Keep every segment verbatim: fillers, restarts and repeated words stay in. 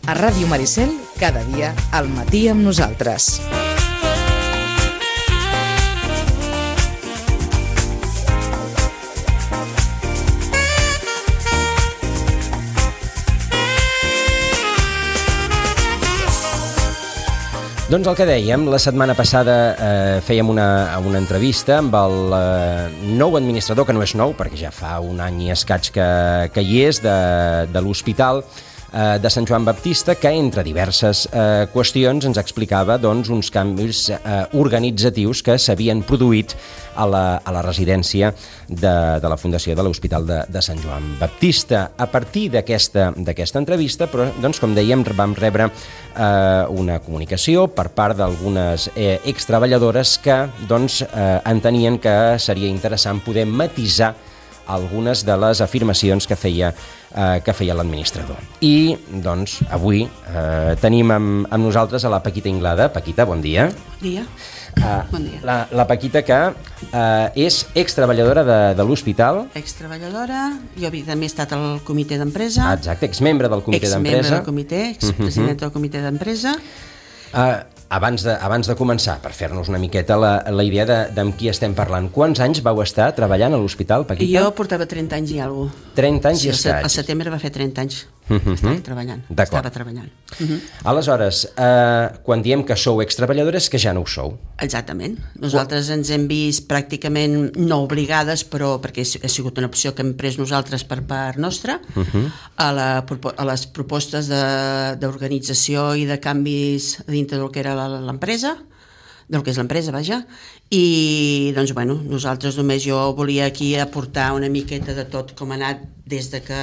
A Ràdio Maricel, cada dia, al matí amb nosaltres. Doncs el que dèiem, la setmana passada eh, fèiem una, una entrevista amb el eh, nou administrador, que no és nou, perquè ja fa un any i escaig que, que hi és, de, de l'Hospital eh, de Sant Joan Baptista, que entre diverses eh, qüestions ens explicava doncs, uns canvis eh, organitzatius que s'havien produït a la, a la residència de, de la Fundació de l'Hospital de, de Sant Joan Baptista. A partir d'aquesta d'aquesta entrevista, però, doncs, com dèiem, vam rebre eh, una comunicació per part d'algunes eh, extreballadores que doncs, eh, entenien que seria interessant poder matisar algunes de les afirmacions que feia, eh, que feia l'administrador. I, doncs, avui eh, tenim amb, amb nosaltres a la Paquita Inglada. Paquita, bon dia. Bon dia. Uh, bon dia. La, la Paquita, que uh, és extreballadora de, de l'hospital. Extreballadora, jo també he estat al comitè d'empresa. Ah, exacte, exmembre del comitè d'empresa. Exmembre del comitè, expresident uh-huh. del comitè d'empresa. Uh, abans, de, abans de començar, per fer-nos una miqueta la, la idea de, de amb qui estem parlant, quants anys vau estar treballant a l'hospital, Paquita? Jo portava trenta anys i alguna cosa. trenta anys sí, i escaig. Al setembre va fer trenta anys. Uh-huh. Estava treballant. Estava treballant. Uh-huh. Aleshores, eh, quan diem que sou extreballadores, que ja no ho sou. Exactament. Nosaltres Quan... ens hem vist pràcticament no obligades, però perquè ha sigut una opció que hem pres nosaltres per part nostra, uh-huh. a, la, a les propostes d'organització i de canvis dintre del que era l'empresa, del que és l'empresa, vaja, i doncs, bueno, nosaltres només jo volia aquí aportar una miqueta de tot com ha anat des de que,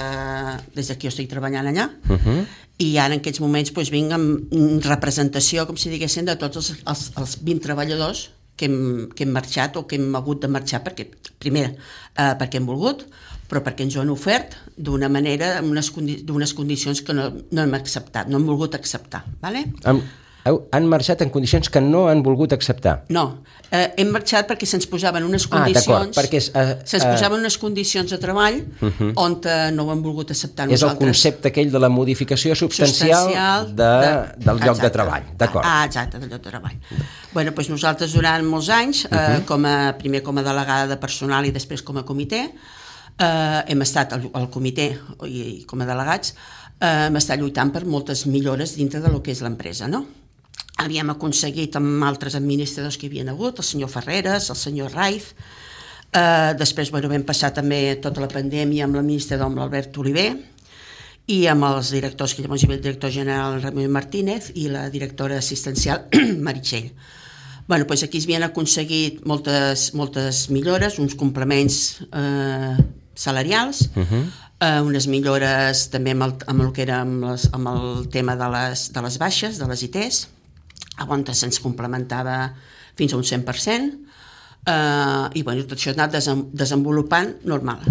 des de que jo estic treballant allà, uh-huh. i ara en aquests moments doncs, vinc amb representació, com si diguessin, de tots els, els, els vint treballadors que hem, que hem marxat o que hem hagut de marxar, perquè, primer, eh, perquè hem volgut, però perquè ens ho han ofert d'una manera, amb unes, condi d'unes condicions que no, no hem acceptat, no hem volgut acceptar, vale? Um... Han marxat en condicions que no han volgut acceptar? No, eh, hem marxat perquè se'ns posaven unes condicions, ah, perquè, uh, uh, se'ns posaven unes condicions de treball uh-huh. on uh, no ho hem volgut acceptar nosaltres. És el concepte aquell de la modificació substancial, substancial de, de, del lloc exacte. de treball, d'acord. Ah, exacte, del lloc de treball. Bueno, doncs nosaltres durant molts anys, eh, uh-huh. com a, primer com a delegada de personal i després com a comitè, eh, hem estat al, al comitè i, i com a delegats, eh, hem estat lluitant per moltes millores dintre de lo que és l'empresa, no? Havíem aconseguit amb altres administradors que hi havia hagut, el senyor Ferreres, el senyor Raiz, eh, després bueno, vam passar també tota la pandèmia amb l'administrador, amb l'Albert Oliver, i amb els directors, que llavors hi havia el director general Ramon Martínez i la directora assistencial Meritxell. Bueno, doncs aquí es havien aconseguit moltes, moltes millores, uns complements eh, salarials, uh-huh. eh, unes millores també amb el, amb el que era amb, les, amb el tema de les, de les baixes, de les I Ts, on se'ns complementava fins a un cent per cent, eh, i bueno, tot això ha anat desem desenvolupant normal.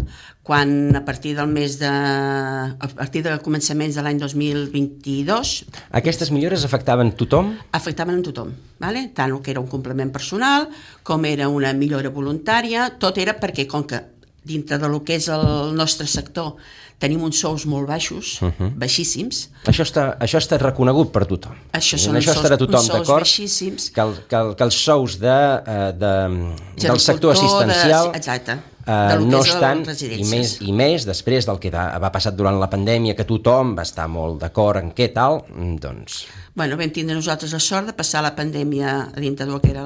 Quan a partir del mes de... a partir de començaments de l'any dos mil vint-i-dos... Aquestes millores afectaven tothom? Afectaven a tothom, vale? Tant el que era un complement personal, com era una millora voluntària, tot era perquè, com que dintre del que és el nostre sector tenim uns sous molt baixos, uh-huh. baixíssims. Això està, això està reconegut per tothom. Això són això uns, estarà sous, tothom uns sous baixíssims. Que, el, que, el, que els sous de, de, del sector assistencial de, exacte, uh, no estan, i més, i més després del que va, va passar durant la pandèmia, que tothom va estar molt d'acord en què tal, doncs... Bueno, vam tindre nosaltres la sort de passar la pandèmia a dintre del que era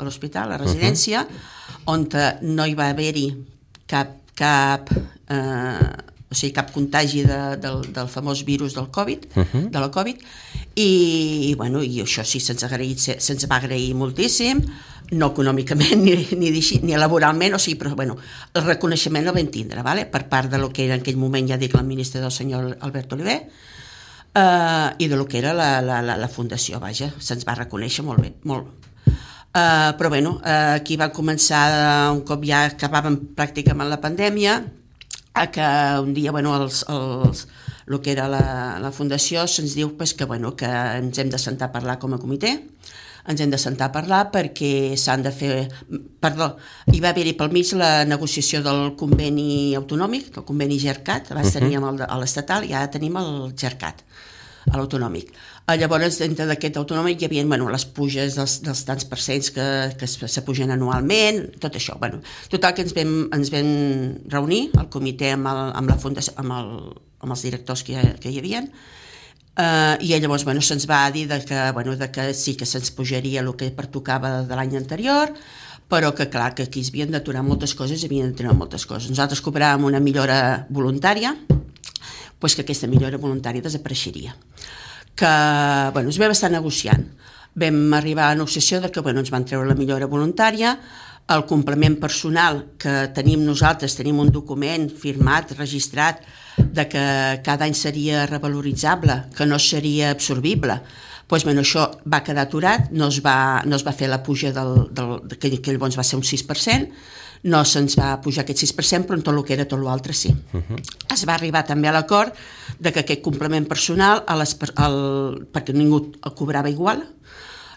l'hospital, la, la residència, uh-huh. on no hi va haver-hi cap, cap, eh, o sigui, cap contagi de, del, del famós virus del Covid, uh-huh. de la Covid, i, i, bueno, i això sí, se'ns se'ns va agrair moltíssim, no econòmicament ni, ni, ni laboralment, o sigui, però bueno, el reconeixement el vam tindre, vale? Per part de lo que era en aquell moment, ja dic, l'administrador senyor Albert Oliver, eh, i de lo que era la, la, la, la fundació, vaja, se'ns va reconèixer molt bé, molt. Uh, però bueno, uh, aquí va començar uh, un cop ja acabàvem pràcticament la pandèmia, a que un dia, bueno, els, els, el que era la, la fundació se'ns diu pues, que, bueno, que ens hem de sentar a parlar com a comitè, ens hem de sentar a parlar perquè s'han de fer... Perdó, hi va haver-hi pel mig la negociació del conveni autonòmic, el conveni GERCAT, abans uh-huh. teníem el, l'estatal i ara tenim el GERCAT. a l'autonòmic. Llavors, dintre d'aquest autonòmic hi havia bueno, les puges dels, dels tants percents que, que s'apugen anualment, tot això. Bueno, total, que ens vam, ens vam reunir al comitè amb, el, amb, la fundació, amb, el, amb els directors que hi, que hi havia, uh, i llavors bueno, se'ns va dir de que, bueno, de que sí que se'ns pujaria el que pertocava de l'any anterior, però que clar, que aquí es havien d'aturar moltes coses, havien d'aturar moltes coses. Nosaltres cobràvem una millora voluntària, doncs que aquesta millora voluntària desapareixeria. Que, bueno, es vam estar negociant. Vam arribar a la negociació de que, bueno, ens van treure la millora voluntària, el complement personal que tenim nosaltres, tenim un document firmat, registrat, de que cada any seria revaloritzable, que no seria absorbible. Doncs, bueno, això va quedar aturat, no es va, no es va fer la puja del, del, que, que llavors va ser un sis per cent, no se'ns va pujar aquest sis per cent, però en tot el que era tot l'altre sí. Uh-huh. Es va arribar també a l'acord de que aquest complement personal, a les, al, perquè ningú el cobrava igual,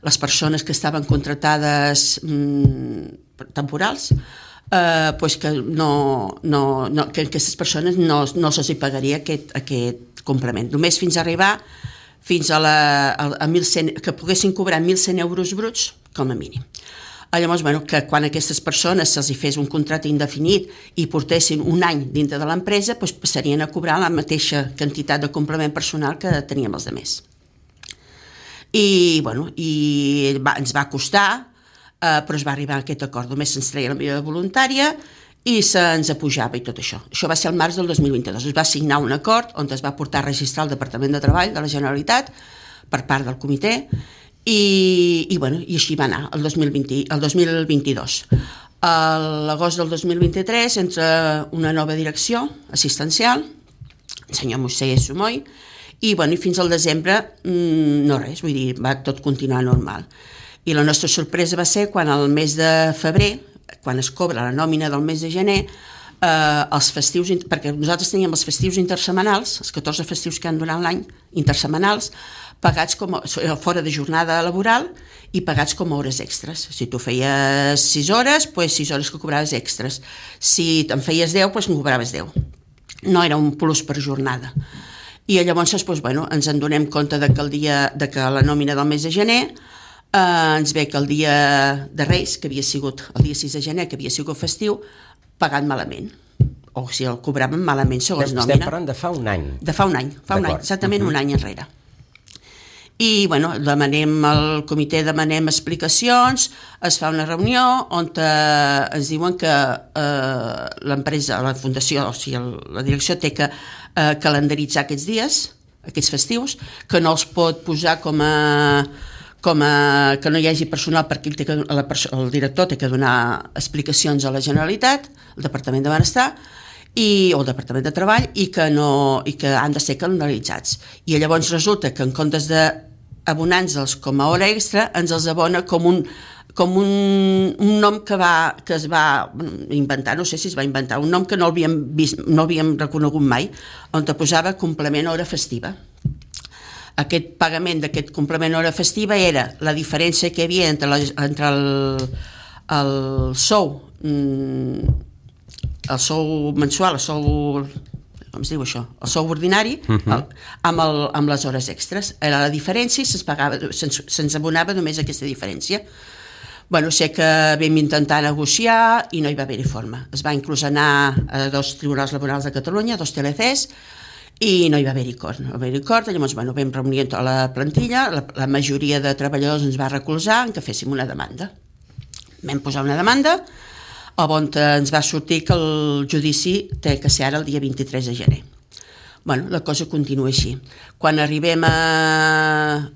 les persones que estaven contractades mmm, temporals, eh, pues que, no, no, no, que aquestes persones no, no se'ls pagaria aquest, aquest complement. Només fins a arribar fins a, la, a, a mil cent, que poguessin cobrar mil cent euros bruts com a mínim. Llavors, bueno, que quan aquestes persones se'ls fes un contracte indefinit i portessin un any dintre de l'empresa, doncs passarien a cobrar la mateixa quantitat de complement personal que teníem els altres. I, bueno, i va, ens va costar, eh, però es va arribar a aquest acord. Només se'ns treia la millora voluntària i se'ns apujava i tot això. Això va ser el març del dos mil vint-dos. Es va signar un acord on es va portar a registrar el Departament de Treball de la Generalitat per part del comitè i, i, bueno, i així va anar el dos mil vint, el dos mil vint-dos. A l'agost del dos mil vint-tres entra una nova direcció assistencial, el senyor Moisés Sumoy, i, bueno, i fins al desembre mmm, no res, vull dir, va tot continuar normal. I la nostra sorpresa va ser quan al mes de febrer, quan es cobra la nòmina del mes de gener, eh, els festius, perquè nosaltres teníem els festius intersetmanals, els catorze festius que han durant l'any, intersetmanals, pagats com a, fora de jornada laboral i pagats com a hores extres. Si tu feies sis hores, doncs sis hores que cobraves extres. Si te'n feies deu, doncs en cobraves deu. No era un plus per jornada. I llavors doncs, bueno, ens en donem compte de que, el dia, de que la nòmina del mes de gener Uh, ens ve que el dia de Reis, que havia sigut el dia sis de gener, que havia sigut festiu, pagat malament. O sigui, el cobraven malament segons Estem nòmina. Estem parlant de fa un any. De fa un any, fa un any, exactament uh-huh. un any enrere. I, bueno, demanem al comitè, demanem explicacions, es fa una reunió on uh, ens diuen que uh, l'empresa, la fundació, o sigui, el, la direcció té que uh, calendaritzar aquests dies, aquests festius, que no els pot posar com a... com a, que no hi hagi personal perquè el, té que, la, el director té que donar explicacions a la Generalitat, al Departament de Benestar i, o al Departament de Treball i que, no, i que han de ser calendaritzats. I llavors resulta que en comptes d'abonar-nos com a hora extra ens els abona com un, com un, un nom que, va, que es va inventar, no sé si es va inventar, un nom que no havíem vist, no havíem reconegut mai, on te posava complement hora festiva. Aquest pagament d'aquest complement hora festiva era la diferència que hi havia entre, la, entre el, el sou el sou mensual, el sou com es diu això, el sou ordinari uh-huh. el, amb, el, amb les hores extres. Era la diferència i se'ns pagava, se'ns, se'ns abonava només aquesta diferència. Bueno, sé que vam intentar negociar i no hi va haver-hi forma. Es va inclús anar a dos tribunals laborals de Catalunya, dos T L Cs, i no hi va haver-hi acord, no va haver-hi acord, llavors bueno, vam reunir tota la plantilla, la, la majoria de treballadors ens va recolzar en que féssim una demanda. Vam posar una demanda, on ens va sortir que el judici té que ser ara el dia vint-i-tres de gener. Bueno, la cosa continua així. Quan arribem a,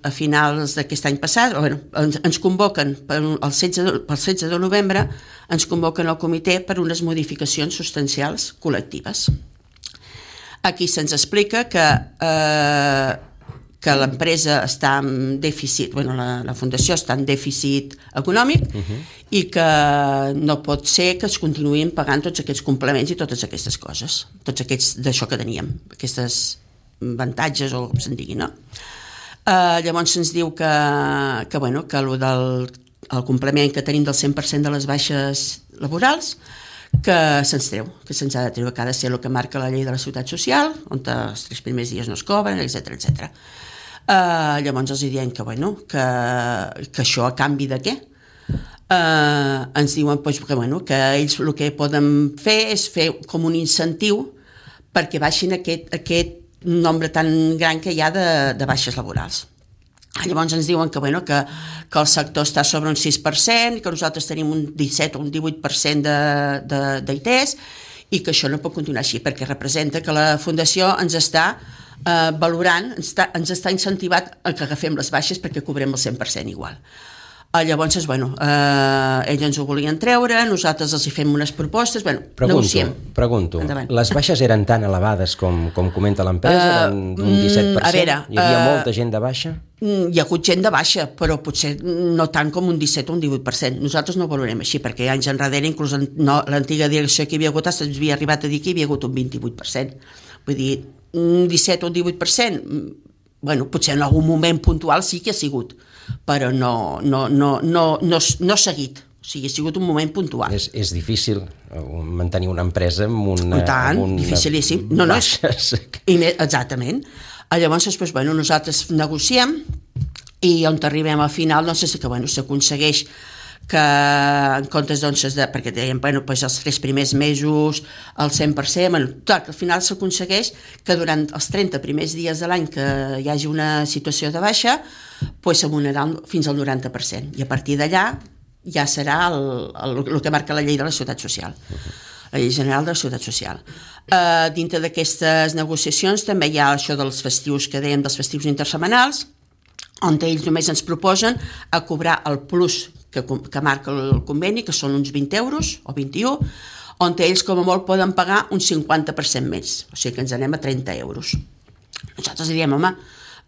a finals d'aquest any passat, bueno, ens, ens convoquen pel setze, pel setze de novembre, ens convoquen al comitè per unes modificacions substancials col·lectives. Aquí se'ns explica que, eh, que l'empresa està en dèficit, bueno, la, la fundació està en dèficit econòmic uh-huh. i que no pot ser que es continuïn pagant tots aquests complements i totes aquestes coses, tots aquests d'això que teníem, aquestes avantatges o com se'n digui, no? Eh, llavors se'ns diu que, que, bueno, que el, del, el complement que tenim del cent per cent de les baixes laborals que se'ns treu, que se'ns ha de treure, que ha de ser el que marca la llei de la Seguretat Social, on els tres primers dies no es cobren, etcètera, etcètera. Uh, llavors els diem que, bueno, que, que això a canvi de què? Uh, ens diuen pues, que, bueno, que ells el que poden fer és fer com un incentiu perquè baixin aquest, aquest nombre tan gran que hi ha de, de baixes laborals. Llavors ens diuen que, bueno, que, que el sector està sobre un sis per cent, que nosaltres tenim un disset o un divuit per cent d'I T S i que això no pot continuar així perquè representa que la Fundació ens està Uh, valorant, ens està, ens està incentivat a que agafem les baixes perquè cobrem el cent per cent igual. Uh, llavors, bueno, uh, ells ens ho volien treure, nosaltres els hi fem unes propostes, bueno, pregunto, negociem. Pregunto, Endavant. Les baixes eren tan elevades com, com comenta l'empresa, uh, d'un disset per cent? A veure, hi havia uh, molta gent de baixa? Hi ha hagut gent de baixa, però potser no tant com un disset o un divuit per cent. Nosaltres no ho valorem així, perquè anys enrere, inclús en, no, l'antiga direcció que hi havia hagut, ens havia arribat a dir que hi havia hagut un vint-i-vuit per cent. Vull dir, un disset o un divuit per cent, bueno, potser en algun moment puntual sí que ha sigut, però no, no, no, no, no, no seguit. O sigui, ha sigut un moment puntual. És, és difícil mantenir una empresa amb una... I tant, amb una dificilíssim. No, no, és, i més, exactament. Llavors, doncs, bueno, nosaltres negociem i on arribem al final, doncs, és que, bueno, s'aconsegueix que en comptes, doncs, de, perquè dèiem, bueno, doncs els tres primers mesos, el cent per cent, bueno, tot, al final s'aconsegueix que durant els trenta primers dies de l'any que hi hagi una situació de baixa, doncs s'abonarà fins al noranta per cent. I a partir d'allà ja serà el, el, el que marca la llei de la Seguretat Social, la llei general de la Seguretat Social. Uh, dintre d'aquestes negociacions també hi ha això dels festius que dèiem, dels festius intersetmanals, on ells només ens proposen a cobrar el plus que, que marca el conveni, que són uns vint euros o vint-i-u, on ells com a molt poden pagar un cinquanta per cent més, o sigui que ens anem a trenta euros. Nosaltres diríem, home,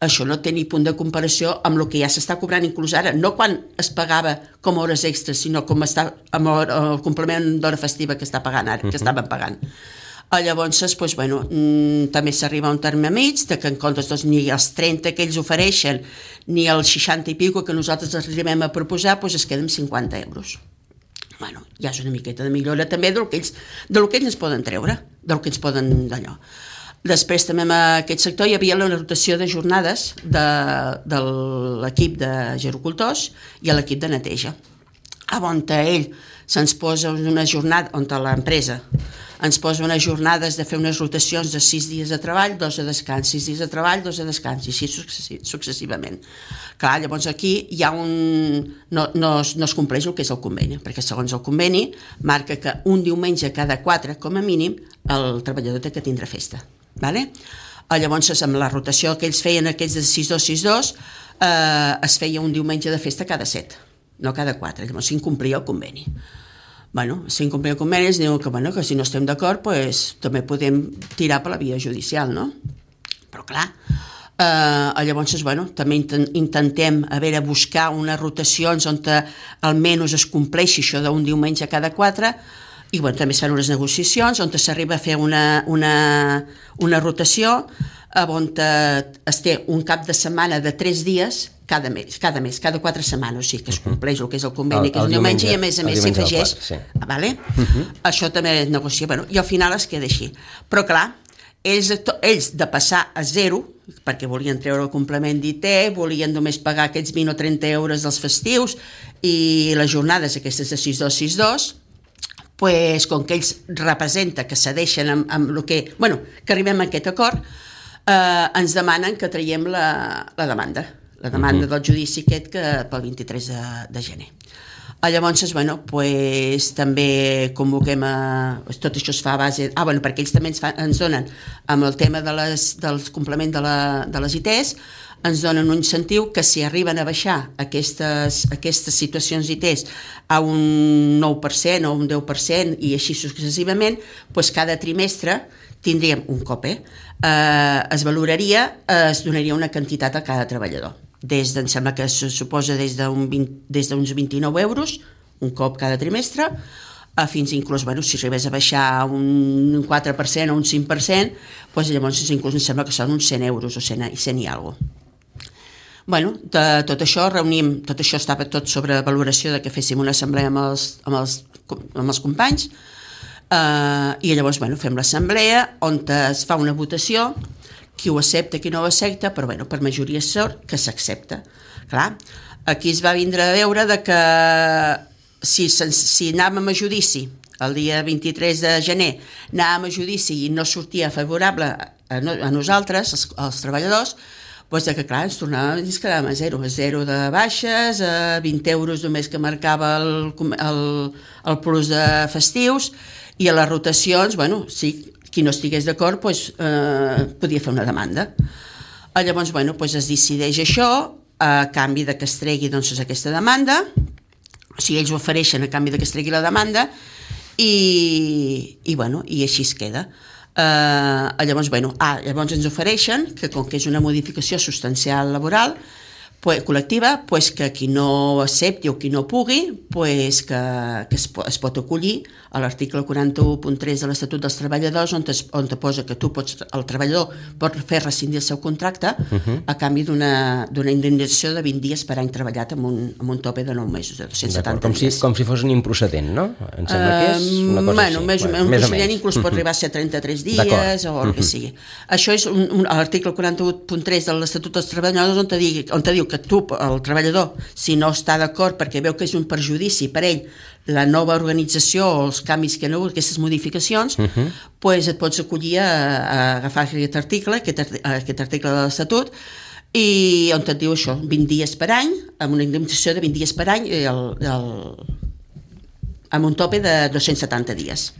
això no té ni punt de comparació amb el que ja s'està cobrant inclús ara, no quan es pagava com a hores extres, sinó com està amb el complement d'hora festiva que està pagant ara, uh-huh. que estaven pagant. Llavors, doncs, bueno, mmm, també s'arriba a un terme mig de que en comptes doncs, ni els trenta que ells ofereixen ni els seixanta i pico que nosaltres arribem a proposar, doncs es queden cinquanta euros. Bueno, ja és una miqueta de millora també del que ells, del que ells ens poden treure, del que ens poden d'allò. Després també en aquest sector hi havia la rotació de jornades de, de l'equip de gerocultors i l'equip de neteja. On ell se'ns posa una jornada, on l'empresa ens posa unes jornades de fer unes rotacions de sis dies de treball, dos de descans, sis dies de treball, dos de descans, i així successivament. Clar, llavors aquí hi ha un... No, no, es, no es compleix el que és el conveni, perquè segons el conveni marca que un diumenge cada quatre, com a mínim, el treballador té que tindre festa. Vale? Llavors, amb la rotació que ells feien, aquests de sis dos sis dos, eh, es feia un diumenge de festa cada set, no cada quatre, llavors s'incomplia el conveni. Bueno, s'incomplia el conveni, ens diuen que, bueno, que si no estem d'acord, pues, també podem tirar per la via judicial, no? Però clar, eh, llavors, bueno, també intentem a veure, buscar unes rotacions on almenys es compleixi això d'un diumenge cada quatre, i bueno, també es fan unes negociacions on s'arriba a fer una, una, una rotació on es té un cap de setmana de tres dies cada mes, cada mes, cada quatre setmanes, o sigui que es compleix el que és el conveni, el, que és el diumenge, i a més a més s'hi afegeix, sí. Vale? Uh-huh. Això també es negocia, bueno, i al final es queda així. Però clar, ells, ells de passar a zero, perquè volien treure el complement d'I T, volien només pagar aquests vint o trenta euros dels festius i les jornades aquestes de sis dos sis dos, pues, com que ells representa que cedeixen amb, amb el que, bueno, que arribem a aquest acord, eh, ens demanen que traiem la, la demanda, la demanda uh-huh. del judici aquest que pel vint-i-tres de, de gener. Llavors, bueno, pues, també convoquem a... Tot això es fa a base... Ah, bueno, perquè ells també ens, fa, ens donen, amb el tema de les, del complement de, la, de les I Ts, ens donen un incentiu que si arriben a baixar aquestes, aquestes situacions I Ts a un nou per cent o un deu per cent i així successivament, pues cada trimestre tindríem un cop, eh? Eh, es valoraria, eh, es donaria una quantitat a cada treballador. Des de, em sembla que se suposa des d'uns vint-i-nou euros, un cop cada trimestre, a fins inclús, bueno, si arribés a baixar un quatre per cent o un cinc per cent, doncs llavors inclús em sembla que són uns cent euros o cent i alguna cosa. Bueno, de tot això reunim, tot això estava tot sobre valoració de que féssim una assemblea amb els, amb els, amb els companys, eh, i llavors, bueno, fem l'assemblea on es fa una votació qui ho accepta, qui no ho accepta, però bueno, per majoria sort que s'accepta. Clar, aquí es va vindre a veure de que si, si anàvem a judici el dia vint-i-tres de gener, anàvem a judici i no sortia favorable a, no, a nosaltres, els, els treballadors, doncs de que clar, ens tornàvem i ens quedàvem a zero, a zero de baixes, a vint euros només que marcava el, el, el plus de festius, i a les rotacions, bueno, sí, qui no estigués d'acord doncs, eh, podia fer una demanda. Llavors, bueno, doncs es decideix això, a canvi de que es tregui doncs, aquesta demanda, o sigui, ells ho ofereixen a canvi de que es tregui la demanda, i, i, bueno, i així es queda. Uh, llavors, bueno, ah, llavors ens ofereixen que com que és una modificació substancial laboral pues, col·lectiva, pues, que qui no accepti o qui no pugui pues, que, que es, es pot acollir a l'article quaranta-u punt tres de l'Estatut dels Treballadors on te, on te posa que tu pots, el treballador pot fer rescindir el seu contracte uh-huh. a canvi d'una indemnització de vint dies per any treballat amb un, amb un tope de nou mesos, de dos-cents setanta com dies. Si, com si fos un improcedent, no? Em sembla uh, que és una cosa bueno, així. Més, bueno, un procedent inclús pot arribar a ser trenta-tres dies o el que sigui. Això és un, un, l'article quaranta-u punt tres de l'Estatut dels Treballadors on te, digui, on te diu que tu, el treballador, si no està d'acord perquè veu que és un perjudici per ell la nova organització o els canvis que no, aquestes modificacions, uh-huh. pues et pots acollir a, a agafar aquest article, aquest, aquest article de l'Estatut, i on et diu això, vint dies per any, amb una indemnització de vint dies per any, el, el, amb un tope de dos-cents setanta dies.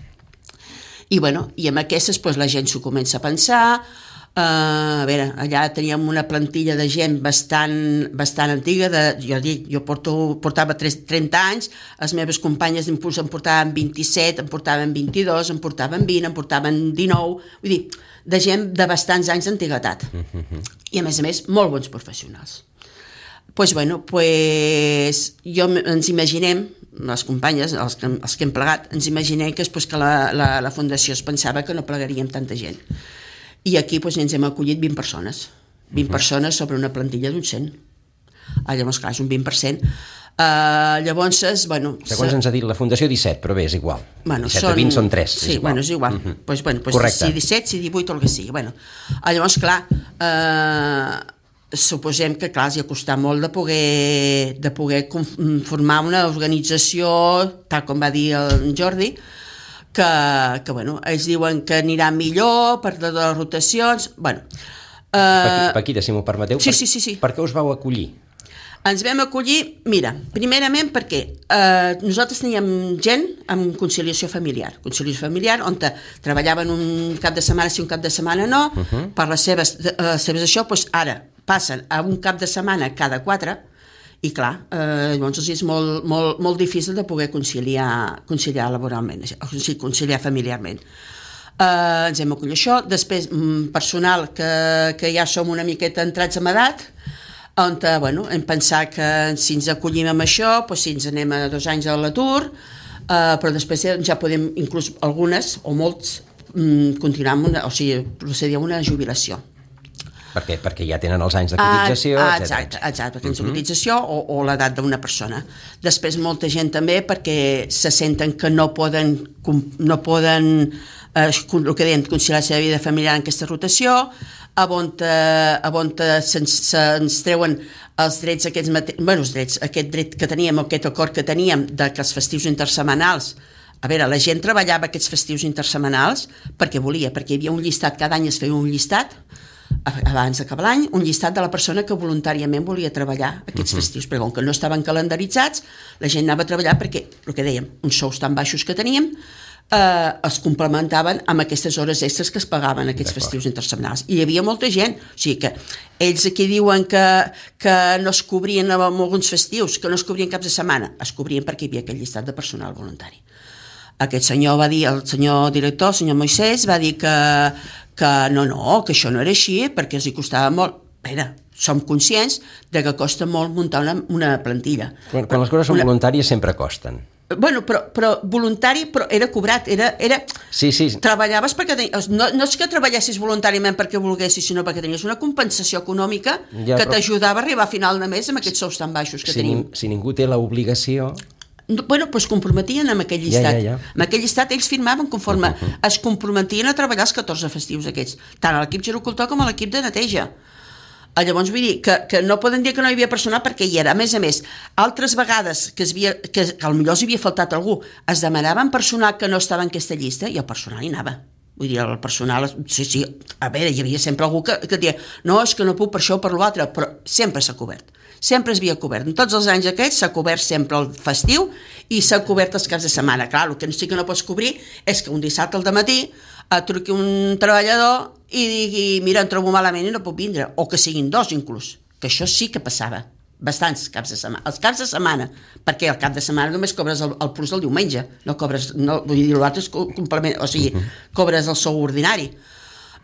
I, bueno, i amb aquestes pues, la gent s'ho comença a pensar. Uh, a veure, allà teníem una plantilla de gent bastant, bastant antiga, de, jo dic, jo porto, portava trenta anys, les meves companyes em portaven vint-i-set, em portaven vint-i-dos, em portaven vint, em portaven dinou, vull dir, de gent de bastants anys d'antiguitat. Uh-huh. I a més a més, molt bons professionals. Doncs, pues, bueno, pues, jo ens imaginem, les companyes, els que, els que hem plegat, ens imaginem que, pues, que la, la, la Fundació es pensava que no plegaríem tanta gent. I aquí doncs, ens hem acollit vint persones. vint uh-huh. persones sobre una plantilla d'un cent. Ah, llavors, clar, és un vint per cent. Uh, llavors, bueno... Segons ens ha dit la Fundació, disset, però bé, és igual. Bueno, disset són... de vint són tres. Sí, és bueno, és igual. Uh-huh. Pues, bueno, pues, correcte. Si disset, si divuit o el que sigui. Bueno, uh, llavors, clar, uh, suposem que, clar, els ha costat molt de poder, de poder formar una organització, tal com va dir el Jordi, que, que bueno, ells diuen que anirà millor per de les rotacions, bueno... Uh, Paquita, si m'ho permeteu, sí, per, sí, sí, sí. per què us vau acollir? Ens vam acollir, mira, primerament perquè uh, nosaltres teníem gent amb conciliació familiar, conciliació familiar on te treballaven un cap de setmana sí, un cap de setmana no, uh-huh. per les seves, uh, seves això, doncs ara passen a un cap de setmana cada quatre, i clar, eh, llavors és molt, molt, molt difícil de poder conciliar, conciliar laboralment, o sigui, conciliar familiarment. Eh, ens hem acollit això, després personal que, que ja som una miqueta entrats en edat, on bueno, hem pensat que si ens acollim amb això, doncs si ens anem a dos anys a l'atur, eh, però després ja podem, inclús algunes o molts, continuar amb una, o sigui, procedir a una jubilació. Perquè, perquè ja tenen els anys de cotització, ah, etcètera. Exacte, exacte, perquè uh-huh. cotització o, o l'edat d'una persona. Després molta gent també perquè se senten que no poden, no poden eh, el que deien, conciliar la seva vida familiar en aquesta rotació, a on, a on se'ns, se'ns treuen els drets, aquests mate... bueno, els drets, aquest dret que teníem, aquest acord que teníem de que els festius intersetmanals, a veure, la gent treballava aquests festius intersetmanals perquè volia, perquè hi havia un llistat, cada any es feia un llistat, abans d'acabar l'any, un llistat de la persona que voluntàriament volia treballar aquests uh-huh. festius, perquè com que no estaven calendaritzats, la gent anava a treballar perquè, el que dèiem, uns sous tan baixos que teníem, eh, es complementaven amb aquestes hores extres que es pagaven aquests D'acord. Festius intersetmanals. I hi havia molta gent, o sigui que ells aquí diuen que, que no es cobrien amb alguns festius, que no es cobrien caps de setmana, es cobrien perquè hi havia aquell llistat de personal voluntari. Aquest senyor va dir, el senyor director, el senyor Moisès, va dir que, que no, no, que això no era així, perquè els hi costava molt. Era, som conscients de que costa molt muntar una, una plantilla. Quan, quan les coses són una... voluntàries sempre costen. Bueno, però, però voluntari però era cobrat, era... era... Sí, sí. Treballaves perquè... Tenies... No, no és que treballessis voluntàriament perquè volguessis, sinó perquè tenies una compensació econòmica ja, que però... t'ajudava a arribar a final de mes amb aquests sous tan baixos que si tenim. Ni, si ningú té l'obligació... bueno, doncs comprometien amb aquell llistat. Ja, ja, ja. Amb aquell llistat ells firmaven conforme uh -huh. es comprometien a treballar els catorze festius aquests, tant a l'equip gerocultor com a l'equip de neteja. Llavors vull dir que, que no poden dir que no hi havia personal perquè hi era. A més a més, altres vegades que, es havia, que, que potser els havia faltat algú, es demanaven personal que no estava en aquesta llista i el personal hi anava. Vull dir, el personal, sí, sí, a veure, hi havia sempre algú que, que deia no, és que no puc per això o per l'altre, però sempre s'ha cobert. Sempre es havia cobert. En tots els anys aquests s'ha cobert sempre el festiu i s'ha cobert els caps de setmana. Clar, el que sí que no pots cobrir és que un dissabte al dematí et truqui un treballador i digui, mira, em trobo malament i no puc vindre, o que siguin dos inclús, que això sí que passava, bastants caps de setmana, els caps de setmana, perquè al cap de setmana només cobres el, el plus del diumenge, no cobres, no, vull dir, l'altre és complement, o sigui, cobres el sou ordinari.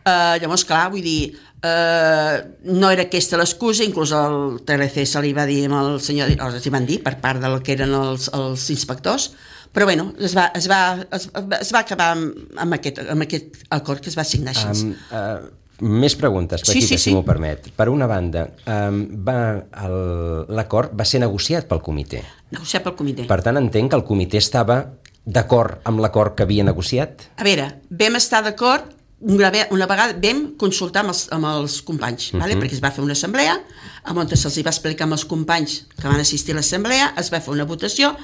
Uh, llavors, clar, vull dir, uh, no era aquesta l'excusa, inclús el T L C se li va dir al senyor, els hi van dir per part del que eren els, els inspectors, però bueno, es va, es va, es, es va acabar amb, amb, aquest, amb aquest acord que es va signar així. Um, uh, més preguntes, Paquita, sí, sí, sí. si m'ho permet. Per una banda, um, l'acord va ser negociat pel comitè. Negociat pel comitè. Per tant, entenc que el comitè estava d'acord amb l'acord que havia negociat? A veure, vam estar d'acord, una, una vegada vam consultar amb els, amb els companys, uh -huh. vale? Perquè es va fer una assemblea, on se'ls va explicar amb els companys que van assistir a l'assemblea, es va fer una votació,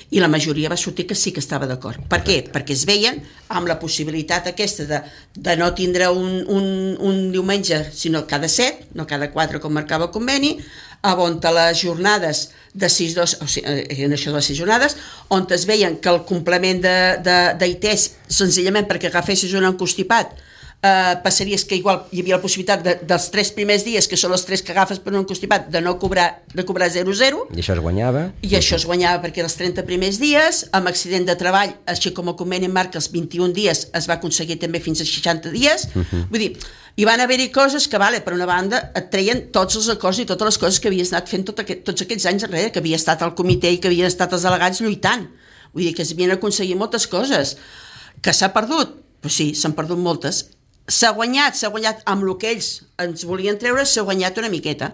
i la majoria va sortir que sí que estava d'acord. Per què? Perquè es veien amb la possibilitat aquesta de, de no tindre un, un, un diumenge, sinó cada set, no cada quatre com marcava el conveni, on les jornades de sis dos, o sigui, en això de les sis jornades, on es veien que el complement d'I T E S, senzillament perquè agafessis un encostipat, Uh, passaries que igual hi havia la possibilitat de, dels tres primers dies, que són els tres que agafes per un constipat, de no cobrar, de cobrar zero zero. I això es guanyava? I això es guanyava perquè els trenta primers dies, amb accident de treball, així com el conveni marca els vint-i-un dies, es va aconseguir també fins a seixanta dies. Uh -huh. Vull dir, hi van haver-hi coses que, vale, per una banda, et treien tots els acords i totes les coses que havies anat fent tot aquest, tots aquests anys enrere, que havia estat el comitè i que havien estat els delegats lluitant. Vull dir, que es havien aconseguit moltes coses. Que s'ha perdut? Pues sí, s'han perdut moltes. S'ha guanyat, s'ha guanyat amb el que ells ens volien treure, s'ha guanyat una miqueta.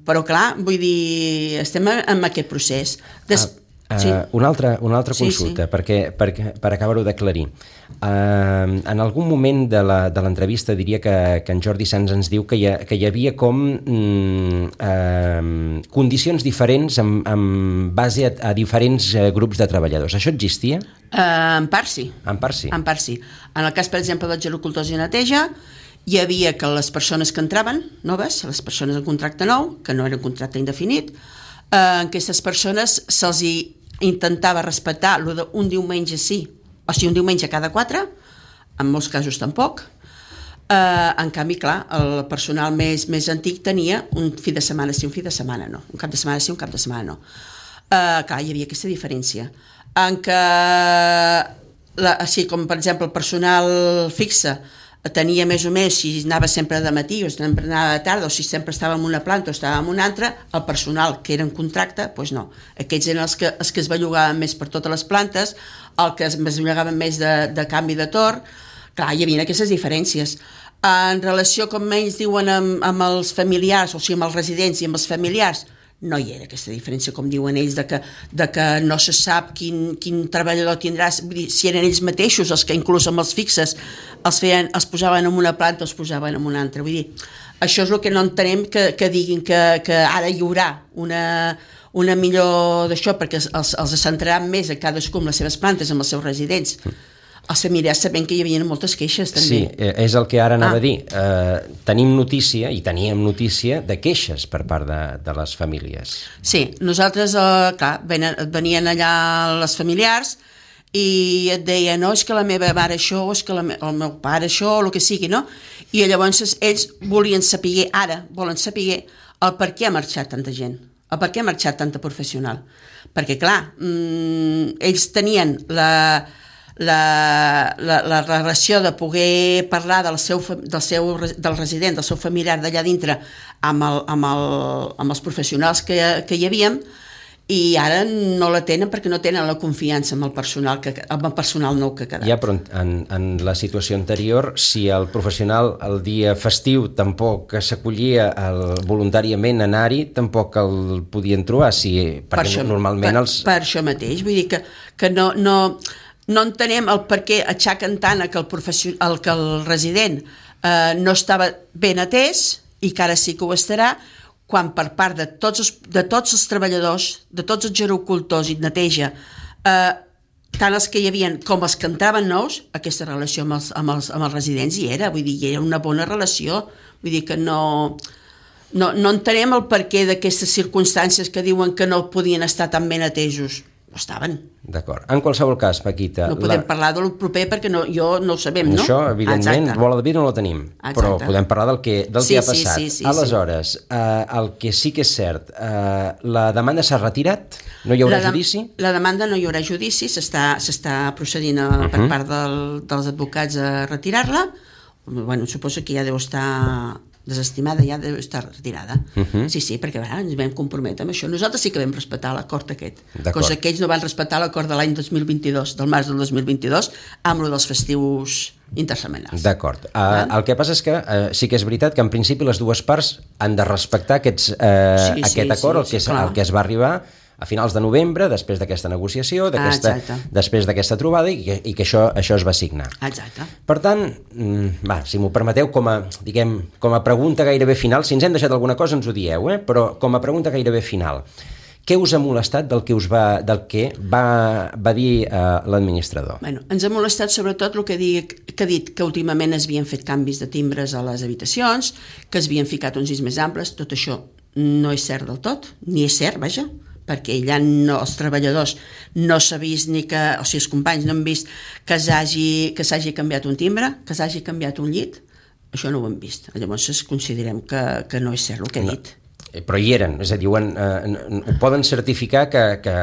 Però clar, vull dir, estem en aquest procés. Des... Ah, uh, sí. Una altra, una altra consulta, sí, sí. perquè, perquè, per acabar-ho d'aclarir. Uh, en algun moment de l'entrevista diria que, que en Jordi Sans ens diu que hi, ha, que hi havia com mm, uh, condicions diferents en, en base a, a diferents uh, grups de treballadors. Això existia? Uh, en part sí. En part sí. En part sí. En el cas, per exemple, dels gerocultors i neteja, hi havia que les persones que entraven, noves, les persones en contracte nou, que no eren contracte indefinit, uh, aquestes persones se'ls intentava respectar lo d'un diumenge sí, o sigui, un diumenge cada quatre, en molts casos tampoc. Uh, en canvi, clar, el personal més, més antic tenia un fi de setmana sí, un fi de setmana no. Un cap de setmana sí, un cap de setmana no. Uh, clar, hi havia aquesta diferència. En què, la, així com per exemple el personal fixe tenia més o més, si anava sempre de matí o sempre anava de tarda, o si sempre estava en una planta o estava en una altra, el personal que era en contracte, doncs no. Aquests eren els que, els que es bellugaven més per totes les plantes, el que es bellugaven més de, de canvi de torn. Clar, hi havia aquestes diferències. En relació, com ells diuen, amb, amb els familiars, o sigui, amb els residents i amb els familiars, no hi era aquesta diferència, com diuen ells, de que, de que no se sap quin, quin treballador tindràs. Vull dir, si eren ells mateixos els que inclús amb els fixes els, feien, els posaven en una planta o els posaven en una altra. Vull dir, això és el que no entenem, que, que diguin que, que ara hi haurà una, una millor d'això, perquè els, els centraran més a cadascú amb les seves plantes, amb els seus residents. Els familiars sabent que hi havia moltes queixes també. Sí, és el que ara anava ah. a dir. Uh, tenim notícia, i teníem notícia, de queixes per part de, de les famílies. Sí, nosaltres, uh, clar, venien allà les familiars i et deien, no, és que la meva mare això, és que la me el meu pare això, o el que sigui, no? I llavors ells volien saber, ara volen saber el per què ha marxat tanta gent, el per què ha marxat tanta professional. Perquè, clar, mmm, ells tenien la... La, la, la relació de poder parlar del seu, del seu del resident, del seu familiar d'allà dintre amb, el, amb, el, amb els professionals que, que hi havíem, i ara no la tenen perquè no tenen la confiança amb el personal, que, amb el personal nou que ha quedat. Ja, però en, en la situació anterior, si el professional el dia festiu tampoc s'acollia el, voluntàriament a anar-hi, tampoc el podien trobar, si, perquè per això, normalment per, els... Per això mateix, vull dir que, que no, no, no entenem el per què aixequen tant que el, el, que el resident eh, no estava ben atès i que ara sí que ho estarà, quan per part de tots els, de tots els treballadors, de tots els gerocultors i neteja, eh, tant els que hi havia com els que entraven nous, aquesta relació amb els, amb els, amb els residents hi era, vull dir, hi era una bona relació, vull dir que no, no, no entenem el perquè d'aquestes circumstàncies que diuen que no podien estar tan ben atesos. No estaven. D'acord. En qualsevol cas, Paquita... No podem la... parlar del proper perquè no, jo no ho sabem, no? Això, evidentment, Exacte. Bola de vidre no la tenim, Exacte. Però podem parlar del que, del sí, que ha passat. Sí, sí, sí, Aleshores, sí. Eh, el que sí que és cert, eh, la demanda s'ha retirat? No hi haurà la de, judici? La demanda no hi haurà judici, s'està procedint a, uh -huh. per part del, dels advocats a retirar-la. Bueno, suposo que ja deu estar... desestimada, ja deu estar retirada. Uh -huh. Sí, sí, perquè va, ens vam comprometre amb això. Nosaltres sí que vam respectar l'acord aquest, cosa que ells no van respectar l'acord de l'any dos mil vint-i-dos, del març del dos mil vint-i-dos, amb lo dels festius intersetmanals. D'acord. Uh, el que passa és que uh, sí que és veritat que en principi les dues parts han de respectar aquests, uh, sí, aquest sí, acord, sí, el, que sí, és, el que es va arribar a finals de novembre, després d'aquesta negociació, d'aquesta, ah, després d'aquesta trobada, i que, i que això, això es va signar. Exacte. Per tant, va, si m'ho permeteu, com a, diguem, com a pregunta gairebé final, si ens hem deixat alguna cosa ens ho dieu, eh? Però com a pregunta gairebé final, què us ha molestat del que, us va, del que va, va dir eh, l'administrador? Bueno, ens ha molestat sobretot el que, dic, que ha dit que últimament es havien fet canvis de timbres a les habitacions, que es havien ficat uns llits més amples, tot això no és cert del tot, ni és cert, vaja, perquè allà no, els treballadors no s'ha vist ni que, o sigui, els companys no han vist que s'hagi que s'hagi canviat un timbre, que s'hagi canviat un llit, això no ho hem vist. Llavors considerem que, que no és cert el que he dit. No, però hi eren, és a dir, ho, han, eh, ho poden certificar que... que...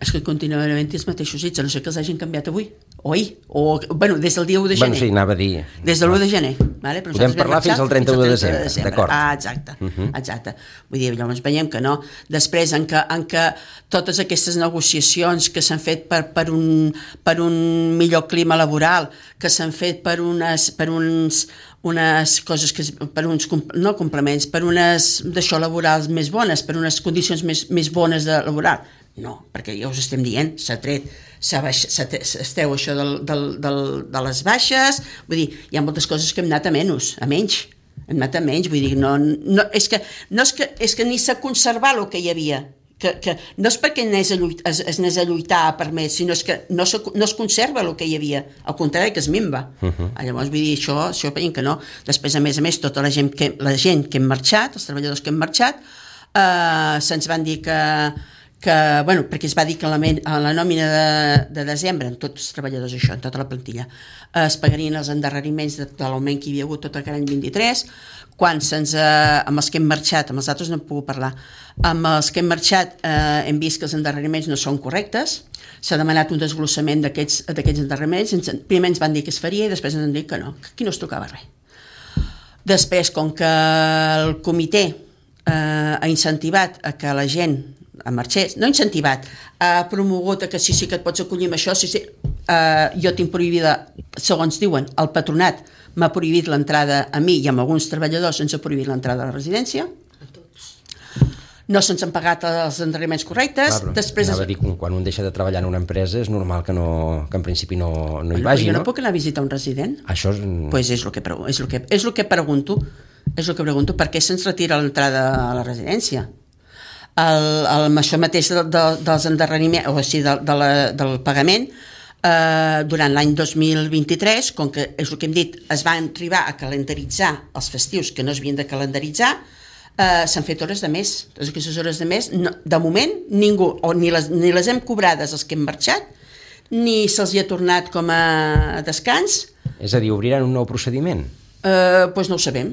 És que continuen havent els mateixos llits, a no ser que els hagin canviat avui, o ahir, o, bueno, des del dia u de gener. Bueno, sí, anava a dir... Des de l'u de gener. Vale? Però podem parlar fins al trenta-u de desembre, d'acord. Ah, exacte, uh -huh. exacte. Vull dir, llavors veiem que no. Després, en que, en que totes aquestes negociacions que s'han fet per, per, un, per un millor clima laboral, que s'han fet per unes... Per uns, unes coses que, per uns, no complements, per unes d'això laborals més bones, per unes condicions més, més bones de laboral. No, perquè ja us estem dient, s'ha tret, esteu això del, del, del, de les baixes, vull dir, hi ha moltes coses que hem anat a menys, a menys, hem anat a menys, vull dir, no, no, és, que, no és, que, és que ni s'ha conservat el que hi havia, que, que no és perquè anés a lluitar, es, es anés a lluitar per més, sinó és que no, se, no es conserva el que hi havia, al contrari que es minva. Uh -huh. Llavors, vull dir, això, això veiem que no. Després, a més a més, tota la gent que, la gent que hem marxat, els treballadors que hem marxat, eh, se'ns van dir que que, bueno, perquè es va dir que la, a la nòmina de, de desembre, en tots els treballadors això, en tota la plantilla, eh, es pagarien els endarreriments de, de l'augment que hi havia hagut tot aquest any vint-i-tres, quan se'ns, eh, amb els que hem marxat, amb els altres no hem pogut parlar, amb els que hem marxat eh, hem vist que els endarreriments no són correctes, s'ha demanat un desglossament d'aquests endarreriments, ens, primer ens van dir que es faria i després ens han dit que no, que aquí no es tocava res. Després, com que el comitè eh, ha incentivat a que la gent a marxés, no incentivat, ha promogut que sí, sí que et pots acollir amb això, sí, sí, uh, jo tinc prohibida, segons diuen, el patronat m'ha prohibit l'entrada a mi i amb alguns treballadors ens ha prohibit l'entrada a la residència. No se'ns han pagat els endarreriments correctes. Clar, després anava a dir, quan un deixa de treballar en una empresa és normal que, no, que en principi no, no hi vagi, jo no? no? Jo no puc anar a visitar un resident? Això és... Pues és el que, és el que, és el que pregunto, és el que pregunto, per què se'ns retira l'entrada a la residència? El, el, això mateix de, de, dels endarreriments, o sigui, de, de la, del pagament, eh, durant l'any dos mil vint-i-tres, com que és el que hem dit, es van arribar a calendaritzar els festius que no s'havien de calendaritzar, eh, s'han fet hores de més. Totes aquestes hores de més, no, de moment, ningú, o ni les, ni les hem cobrades els que hem marxat, ni se'ls hi ha tornat com a descans. És a dir, obriran un nou procediment? Eh, doncs no ho sabem.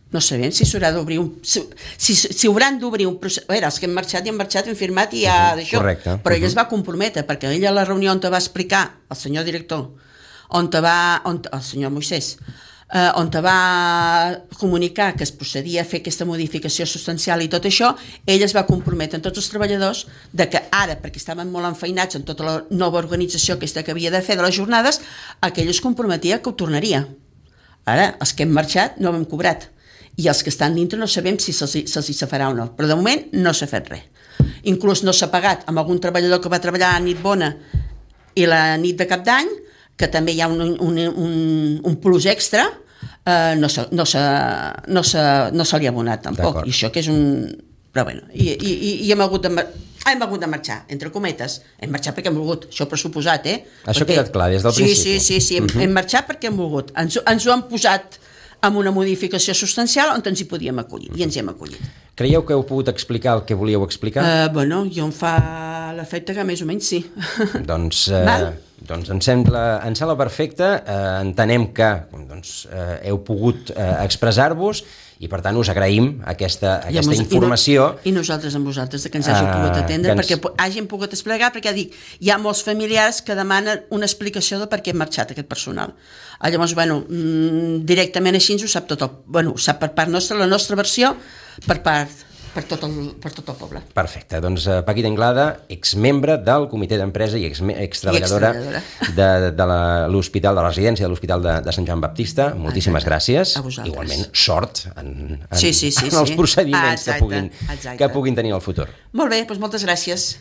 No sabem si s'haurà d'obrir un... Si, si, si hauran d'obrir un procés... A veure, els que hem marxat i han marxat, hem firmat i ja d'això. Correcte. Però ell es va comprometre, perquè ell a la reunió on te va explicar, el senyor director, on te va... On, el senyor Moisès, eh, on te va comunicar que es procedia a fer aquesta modificació substancial i tot això, ell es va comprometre amb tots els treballadors de que ara, perquè estaven molt enfeinats en tota la nova organització aquesta que havia de fer de les jornades, aquell es comprometia que ho tornaria. Ara, els que hem marxat no hem cobrat i els que estan dintre no sabem si se'ls, se'ls hi se farà o no, però de moment no s'ha fet res. Inclús no s'ha pagat amb algun treballador que va treballar a nit bona i la nit de cap d'any, que també hi ha un, un, un, un plus extra, eh, no, se, no, se, no, se, no se li ha abonat tampoc. I això que és un... Però bueno, i, i, i hem, hagut de, hem hagut de marxar, entre cometes. Hem marxat perquè hem volgut, això pressuposat, eh? Això perquè... ha quedat clar des del sí, principi. Sí, sí, sí, hem, uh-huh. hem marxat perquè hem volgut. Ens, ens ho han posat amb una modificació substancial on ens hi podíem acollir, i ens hi hem acollit. Creieu que heu pogut explicar el que volíeu explicar? Uh, bueno, jo em fa l'efecte que més o menys sí. Doncs, eh, doncs ens sembla, ens sembla perfecte, eh, entenem que doncs, eh, heu pogut eh, expressar-vos i per tant us agraïm aquesta, aquesta I informació. I, no, I nosaltres amb vosaltres de que ens hàgiu uh, pogut atendre, ens... perquè hàgim pogut explicar, perquè dic, hi ha molts familiars que demanen una explicació de per què hem marxat aquest personal. Llavors, bueno, directament així ens ho sap tot el, bueno, ho sap per part nostra, la nostra versió, per part, per tot el, per tot el poble. Perfecte, doncs Paquita Inglada, exmembre del comitè d'empresa i extreballadora de, de l'hospital, de la residència de l'Hospital de, de Sant Joan Baptista, moltíssimes exacte. Gràcies. A vosaltres. Igualment, sort en, en, sí, sí, sí, en els sí. procediments exacte, que, puguin, exacte. que puguin tenir al futur. Molt bé, doncs moltes gràcies.